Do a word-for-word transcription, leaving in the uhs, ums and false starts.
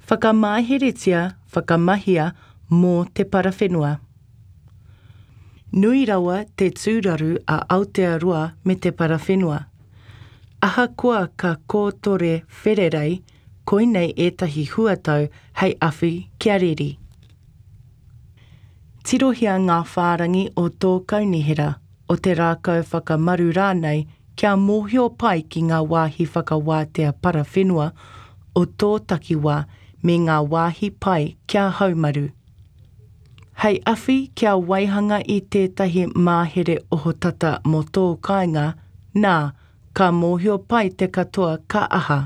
Whakamaheretia, whakamahia mō te parawhenua. Nui rawa te tūraru a Aotearoa me te parawhenua. Ahakoa ka kōtore whererei, koinei ētahi huatau hei awhi kia reri. Tirohia ngā whārangi o tō kaunihera, o te rākau whakamaru rānei kia mōhio pai ki ngā wāhi whakawātea parawhenua o tō takiwā me ngā wāhi pai kia haumaru. Hei awhi kia waihanga i tētahi mahere ohotata mō tō kāinga, nā, ka mōhio pai te katoa ka aha.